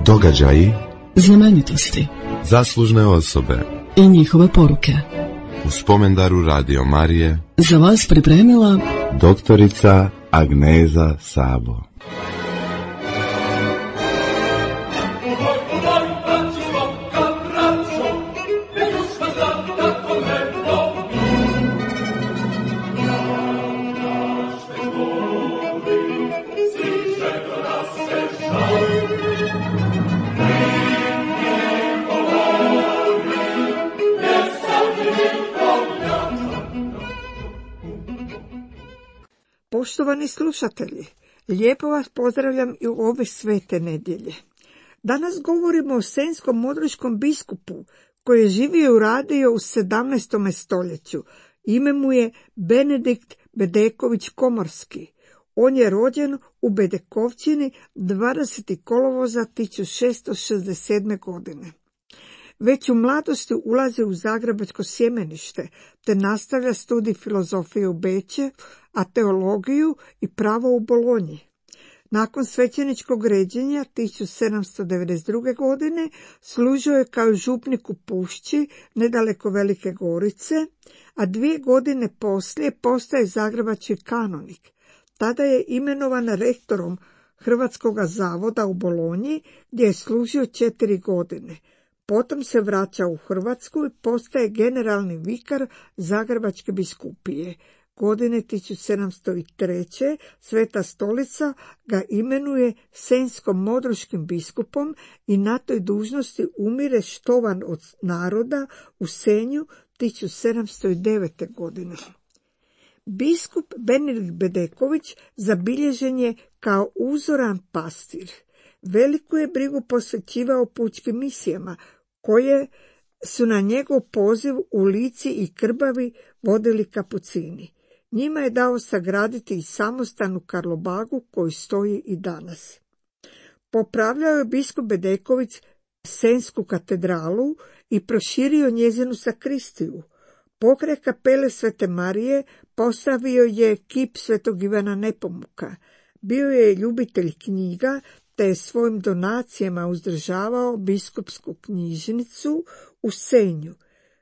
Događaji, znamenitosti, zaslužne osobe i njihove poruke. U spomendaru Radio Marije Za vas pripremila doktorica Agneza Sabo. Poštovani slušatelji, lijepo vas pozdravljam i u ove svete nedjelje. Danas govorimo o senjsko-modriškom biskupu koji je živio i radio u 17. stoljeću. Ime mu je Benedikt Bedeković Komorski. On je rođen u Bedekovčini 20. kolovoza 1667. godine. Već u mladosti ulazi u zagrebačko sjemenište, te nastavlja studij filozofije u Beču, a teologiju i pravo u Bolonji. Nakon svećeničkog ređenja 1792. godine služio je kao župnik u Pušći, nedaleko Velike Gorice, a 2 godine poslije postaje zagrebački kanonik. Tada je imenovan rektorom Hrvatskog zavoda u Bolonji, gdje je služio 4 godine. Potom se vraća u Hrvatsku i postaje generalni vikar Zagrebačke biskupije. Godine 1703. Sveta stolica ga imenuje senjsko-modriškim biskupom i na toj dužnosti umire štovan od naroda u Senju 1709. godine. Biskup Benedikt Bedeković zabilježen je kao uzoran pastir. Veliku je brigu posvećivao pučkim misijama, koje su na njegov poziv u Lici i Krbavi vodili kapucini. Njima je dao sagraditi i samostan u Karlobagu koji stoji i danas. Popravljao je biskup Bedeković Senjsku katedralu i proširio njezinu sakristiju. Pokraj kapele Svete Marije postavio je kip Svetog Ivana Nepomuka. Bio je ljubitelj knjiga, te je svojim donacijama uzdržavao biskupsku knjižnicu u Senju.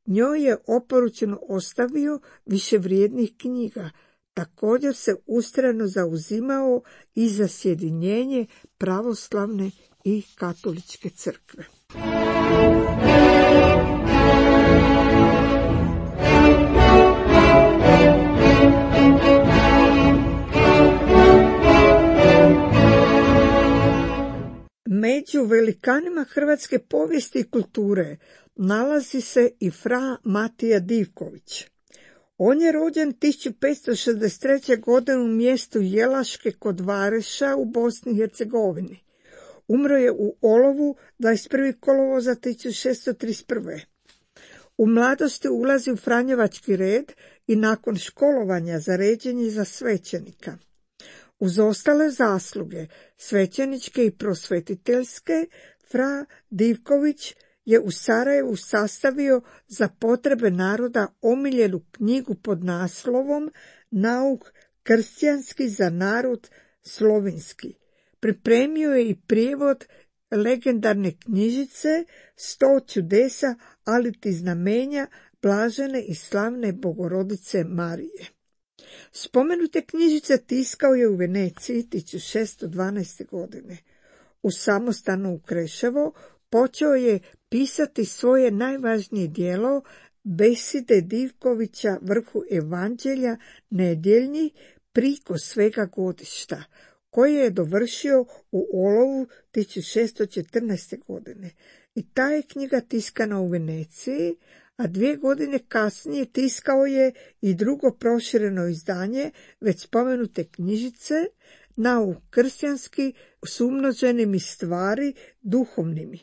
Njoj je oporučeno ostavio više vrijednih knjiga. Također se ustrajno zauzimao i za sjedinjenje pravoslavne i katoličke crkve. Među velikanima hrvatske povijesti i kulture nalazi se i fra Matija Divković. On je rođen 1563. godine u mjestu Jelaške kod Vareša u Bosni i Hercegovini. Umro je u Olovu 21. kolovoza 1631. U mladosti ulazi u Franjevački red i nakon školovanja za ređenje za svećenika. Uz ostale zasluge, svećeničke i prosvetiteljske, fra Divković je u Sarajevu sastavio za potrebe naroda omiljenu knjigu pod naslovom Nauk kršćanski za narod slovenski. Pripremio je i prijevod legendarne knjižice 100 čudesa, aliti znamenja blažene i slavne Bogorodice Marije. Spomenute knjižice tiskao je u Veneciji 1612. godine. U samostanu u Kreševo počeo je pisati svoje najvažnije djelo Beside Divkovića vrhu evanđelja nedjeljni priko svega godišta, koje je dovršio u Olovu 1614. godine. I ta je knjiga tiskana u Veneciji, a 2 godine kasnije tiskao je i drugo prošireno izdanje već spomenute knjižice Nauk kršćanski s umnoženim i stvari duhovnimi,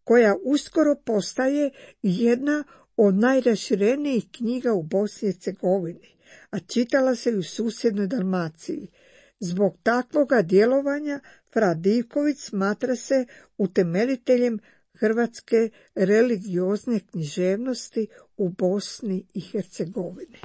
koja uskoro postaje jedna od najraširenijih knjiga u Bosni i Hercegovini, a čitala se i u susjednoj Dalmaciji. Zbog takvoga djelovanja fra Divković smatra se utemeljiteljem hrvatske religiozne književnosti u Bosni i Hercegovini.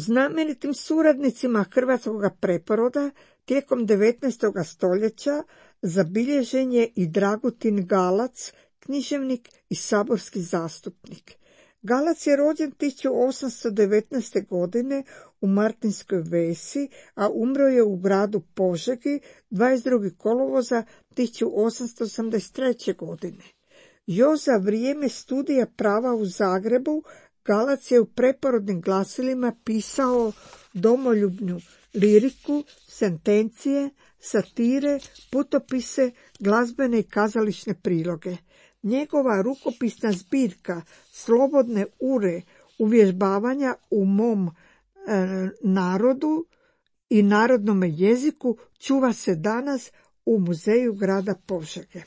Znamenitim suradnicima hrvatskog preporoda tijekom 19. stoljeća zabilježen je i Dragutin Galac, književnik i saborski zastupnik. Galac je rođen 1819. godine u Martinskoj Vesi, a umro je u gradu Požegi 22. kolovoza 1883. godine. Još za vrijeme studija prava u Zagrebu Galac je u preporodnim glasilima pisao domoljubnu liriku, sentencije, satire, putopise, glazbene i kazališne priloge. Njegova rukopisna zbirka Slobodne ure uvježbavanja u mom narodu i narodnome jeziku čuva se danas u muzeju grada Požege.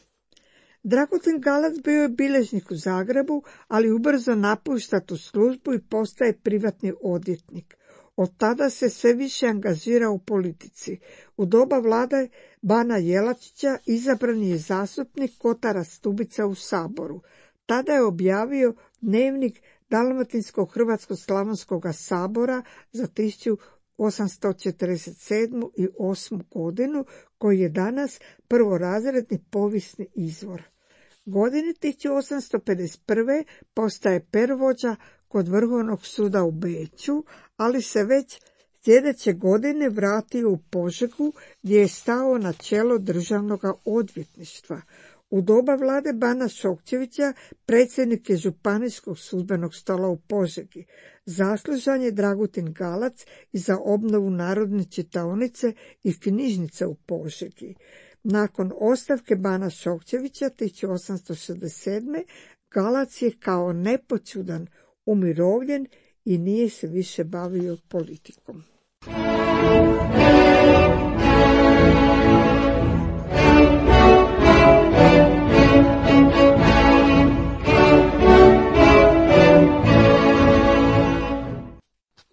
Dragutin Galac bio je bilježnik u Zagrebu, ali ubrzo napušta tu službu i postaje privatni odvjetnik. Od tada se sve više angažira u politici. U doba vlade Bana Jelačića izabran je zastupnik Kotara Stubica u Saboru. Tada je objavio dnevnik Dalmatinsko-Hrvatsko-Slavonskog sabora za 1847. i 8. godinu, koji je danas prvorazredni povijesni izvor. Godine 1851. postaje pervođa kod Vrhovnog suda u Beču, ali se već sljedeće godine vratio u Požegu gdje je stao na čelo državnog odvjetništva. U doba vlade Bana Šokčevića predsjednik je Županijskog sudbenog stola u Požegi. Zaslužan je Dragutin Galac i za obnovu narodne čitaonice i knjižnice u Požegi. Nakon ostavke Bana Šokčevića 1867. Galac je kao nepoćudan umirovljen i nije se više bavio politikom.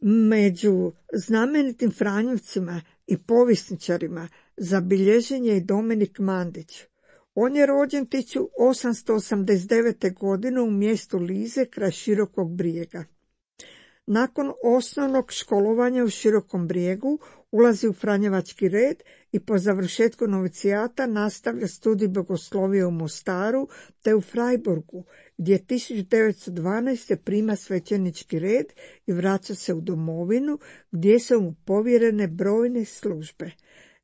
Među znamenitim franjevcima i povjesničarima zabilježen je i Dominik Mandić. On je rođen 1889. godine u mjestu Lize kraj Širokog Brijega. Nakon osnovnog školovanja u Širokom Brijegu ulazi u franjevački red i po završetku novicijata nastavlja studij bogoslovije u Mostaru te u Freiburgu, gdje 1912. prima svećenički red i vraća se u domovinu, gdje su mu povjerene brojne službe.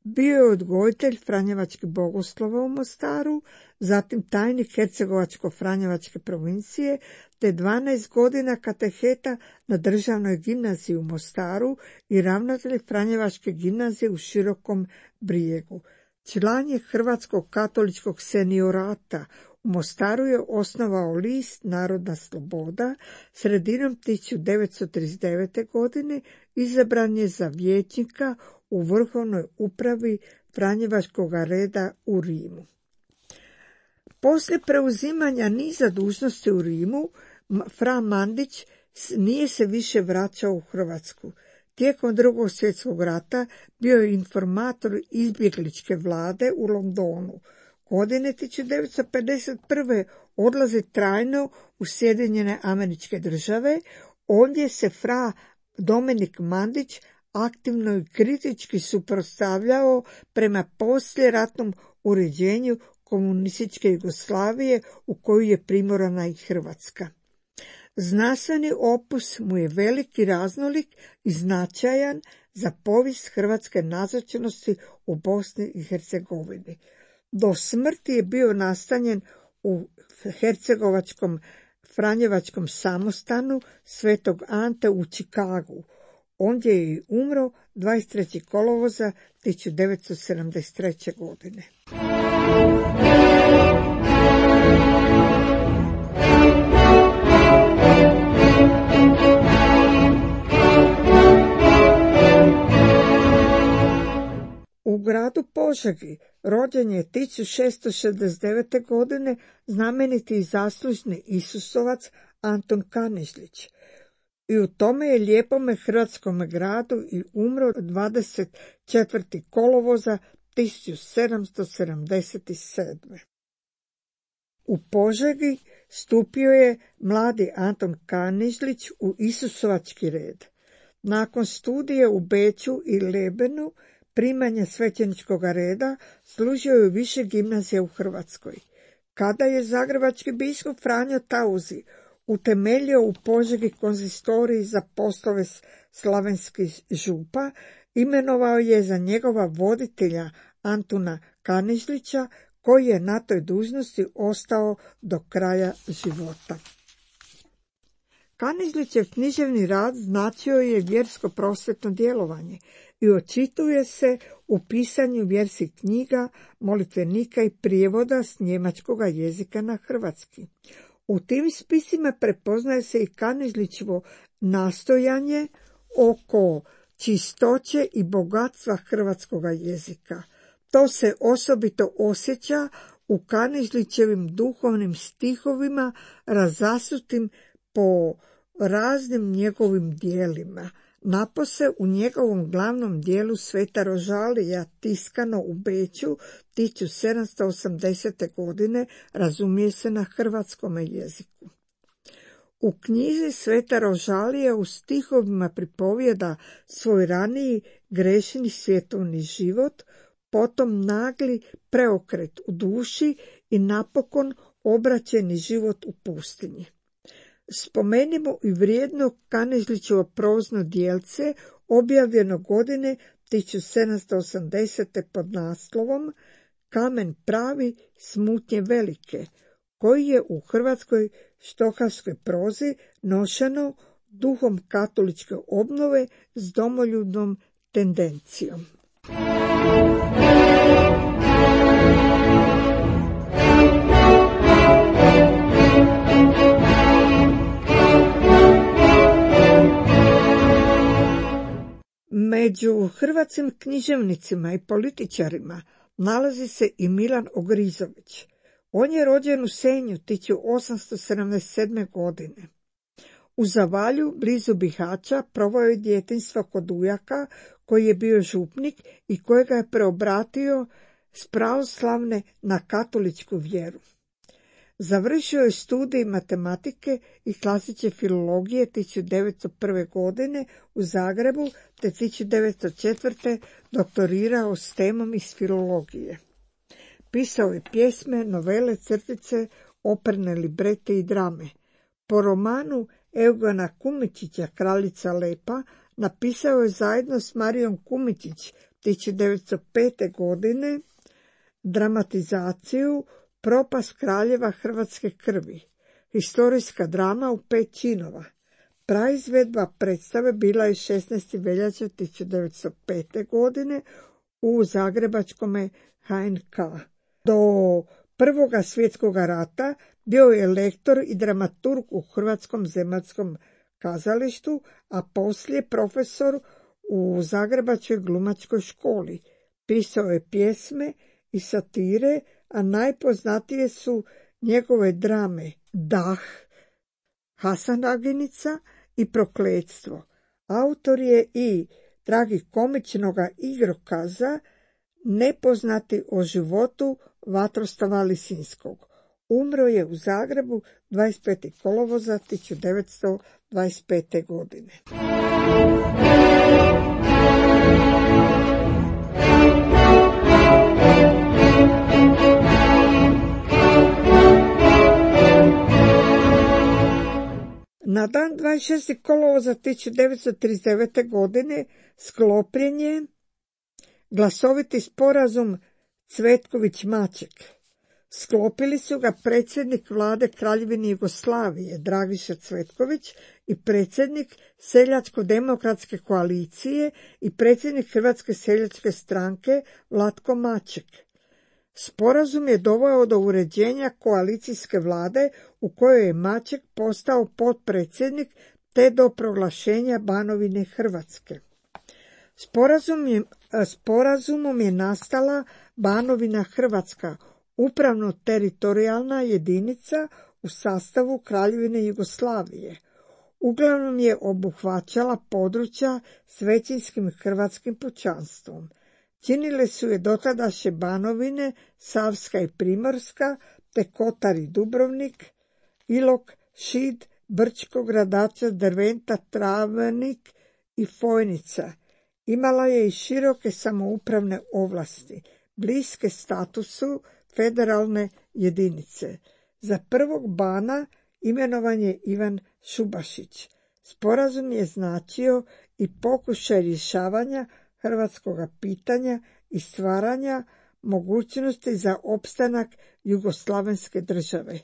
Bio je odgojitelj franjevačkih bogoslova u Mostaru, zatim tajnik Hercegovačko-franjevačke provincije, te 12 godina kateheta na državnoj gimnaziji u Mostaru i ravnatelj franjevačke gimnazije u Širokom Brijegu. Član je Hrvatskog katoličkog seniorata. U Mostaru je osnovao list Narodna sloboda. Sredinom 1939. godine izabran je za vijećnika u vrhovnoj upravi franjevačkog reda u Rimu. Poslije preuzimanja niza dužnosti u Rimu, fra Mandić nije se više vraćao u Hrvatsku. Tijekom Drugog svjetskog rata bio je informator izbjegličke vlade u Londonu. Godine 1951. odlazi trajno u Sjedinjene Američke Države. Ondje se fra Dominik Mandić aktivno i kritički suprotstavljao prema poslijeratnom uređenju komunističke Jugoslavije u koju je primorana i Hrvatska. Znanstveni opus mu je veliki, raznolik i značajan za povijest hrvatske nazočnosti u Bosni i Hercegovini. Do smrti je bio nastanjen u hercegovačkom franjevačkom samostanu Svetog Ante u Čikagu. Ondje je i umro 23. kolovoza 1973. godine. U gradu Požegi rođen je 1669. godine znameniti i zaslužni Isusovac Anton Kanižlić. I u tome je lijepome hrvatskome gradu i umro 24. kolovoza 1777. U Požegi stupio je mladi Anton Kanižlić u Isusovački red. Nakon studije u Beču i Lebenu, primanja svećeničkog reda, služio je u više gimnazija u Hrvatskoj. Kada je zagrebački biskup Franjo Tauzi utemeljio u Požegi konzistorij za poslove slavenskih župa, imenovao je za njegova voditelja Antuna Kanižlića, koji je na toj dužnosti ostao do kraja života. Kanižlićev književni rad značio je vjersko-prosvetno djelovanje i očituje se u pisanju vjerskih knjiga, molitvenika i prijevoda s njemačkog jezika na hrvatski. U tim spisima prepoznaje se i Kanižlićevo nastojanje oko čistoće i bogatstva hrvatskog jezika. To se osobito osjeća u Kanižlićevim duhovnim stihovima razasutim po raznim njegovim dijelima. Napose u njegovom glavnom dijelu Sveta Rožalija, tiskano u Beču 1780. godine, razumije se na hrvatskom jeziku. U knjizi Sveta Rožalija u stihovima pripovijeda svoj raniji grešni svjetovni život, potom nagli preokret u duši i napokon obraćeni život u pustinji. Spomenimo i vrijedno Kanižlićevo prozno djelce, objavljeno godine 1780. pod naslovom Kamen pravi, smutnje velike, koji je u hrvatskoj štokavskoj prozi nošeno duhom katoličke obnove s domoljubnom tendencijom. Među hrvatskim književnicima i političarima nalazi se i Milan Ogrizović. On je rođen u Senju 1877. godine. U Zavalju, blizu Bihaća, proveo je djetinjstvo kod ujaka, koji je bio župnik i kojega je preobratio s pravoslavne na katoličku vjeru. Završio je studij matematike i klasične filologije 1901. godine u Zagrebu, te 1904. doktorirao s temom iz filologije. Pisao je pjesme, novele, crtice, operne librete i drame. Po romanu Eugena Kumičića Kraljica Lepa napisao je zajedno s Marijom Kumičić 1905. godine dramatizaciju Propast kraljeva hrvatske krvi, historijska drama u 5 činova. Praizvedba predstave bila je 16. veljače 1905. godine u zagrebačkome HNK. Do Prvoga svjetskog rata bio je lektor i dramaturg u Hrvatskom zemaljskom kazalištu, a poslije profesor u Zagrebačkoj glumačkoj školi. Pisao je pjesme i satire, a najpoznatije su njegove drame Dah, Hasanaginica i Prokletstvo. Autor je i tragikomičnoga igrokaza Nepoznati o životu Vatroslava Lisinskog. Umro je u Zagrebu 25. kolovoza 1925. godine. Na dan 26. kolovoza 1939. godine sklopljen je glasoviti sporazum Cvetković-Maček. Sklopili su ga predsjednik vlade Kraljevine Jugoslavije Dragiša Cvetković i predsjednik Seljačko-demokratske koalicije i predsjednik Hrvatske seljačke stranke Vlatko Maček. Sporazum je doveo do uređenja koalicijske vlade u kojoj je Maček postao potpredsjednik te do proglašenja Banovine Hrvatske. Sporazumom je nastala Banovina Hrvatska, upravno-teritorijalna jedinica u sastavu Kraljevine Jugoslavije. Uglavnom je obuhvaćala područja s većinskim hrvatskim pučanstvom. Činile su je dotadašnje Banovine, Savska i Primorska, te Kotar i Dubrovnik, Ilok, Šid, Brčko, Gradačac, Derventa, Travnik i Fojnica. Imala je i široke samoupravne ovlasti, bliske statusu federalne jedinice. Za prvog bana imenovan je Ivan Šubašić. Sporazum je značio i pokušaj rješavanja hrvatskoga pitanja i stvaranja mogućnosti za opstanak jugoslavenske države.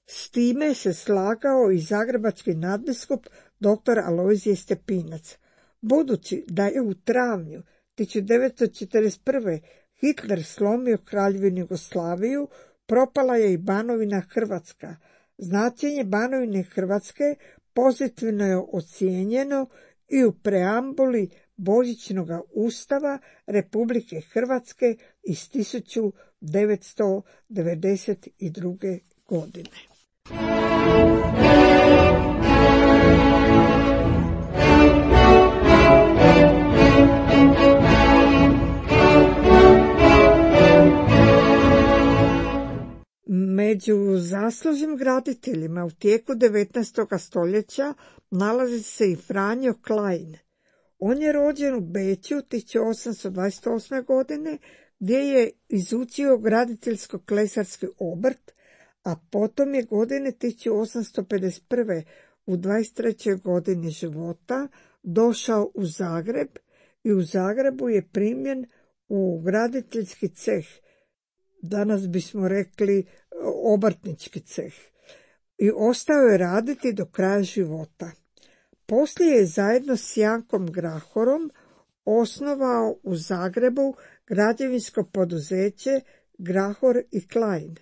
S time se slagao i zagrebački nadbiskup dr. Alojzije Stepinac. Budući da je u travnju 1941. Hitler slomio Kraljevinu Jugoslaviju, propala je i Banovina Hrvatska. Značenje Banovine Hrvatske pozitivno je ocijenjeno i u preambuli Božićnog ustava Republike Hrvatske iz 1992. godine. Među zaslužnim graditeljima u tijeku 19. stoljeća nalazi se i Franjo Klein. On je rođen u Beču 1828. godine, gdje je izučio graditeljsko-klesarski obrt, a potom je godine 1851. u 23. godini života došao u Zagreb i u Zagrebu je primljen u graditeljski ceh, danas bismo rekli obrtnički ceh, i ostao je raditi do kraja života. Poslije je zajedno s Jankom Grahorom osnovao u Zagrebu građevinsko poduzeće Grahor i Klein.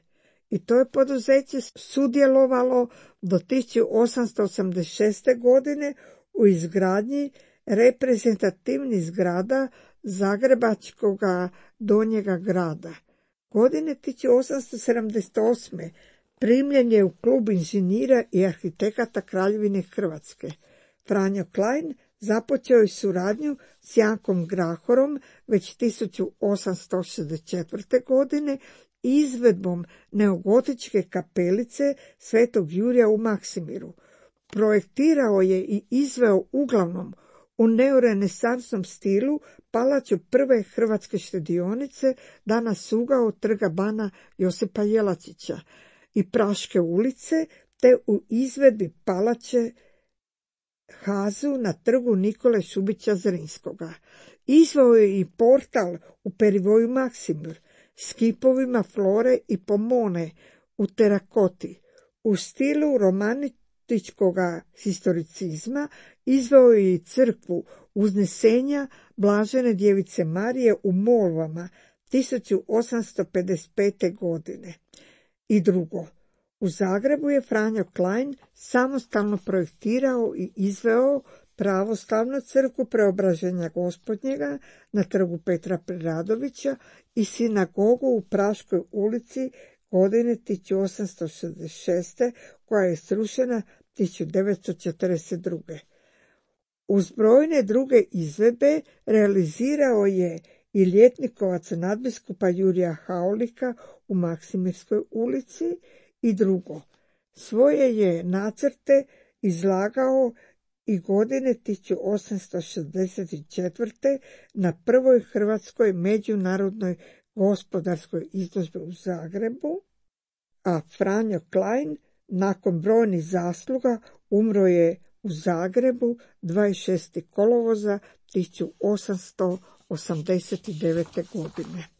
I to je poduzeće sudjelovalo do 1886. godine u izgradnji reprezentativnih zgrada Zagrebačkog Donjega grada. Godine 1878. primljen je u klub inženjera i arhitekata Kraljevine Hrvatske. Franjo Klein započeo je suradnju s Jankom Grahorom već 1864. godine izvedbom neogotičke kapelice Svetog Jurija u Maksimiru. Projektirao je i izveo uglavnom u neorenesansnom stilu palaču prve hrvatske štedionice, danas ugao Trga bana Josipa Jelačića i Praške ulice, te u izvedbi palače Hazu na Trgu Nikole Šubića Zrinskoga. Izveo je i portal u perivoju Maksimir s kipovima Flore i Pomone u terakoti. U stilu romantičkog historicizma izveo je i crkvu Uznesenja Blažene djevice Marije u Molvama 1855. godine. I drugo, u Zagrebu je Franjo Klein samostalno projektirao i izveo pravoslavnu crkvu Preobraženja Gospodnjega na Trgu Petra Preradovića i sinagogu u Praškoj ulici godine 1866. koja je srušena 1942. Uz brojne druge izvedbe realizirao je i ljetnikovac nadbiskupa Jurija Haulika u Maksimirskoj ulici. I drugo, svoje je nacrte izlagao i godine 1864. na prvoj hrvatskoj međunarodnoj gospodarskoj izložbi u Zagrebu, a Franjo Klein nakon brojnih zasluga umro je u Zagrebu 26. kolovoza 1889. godine.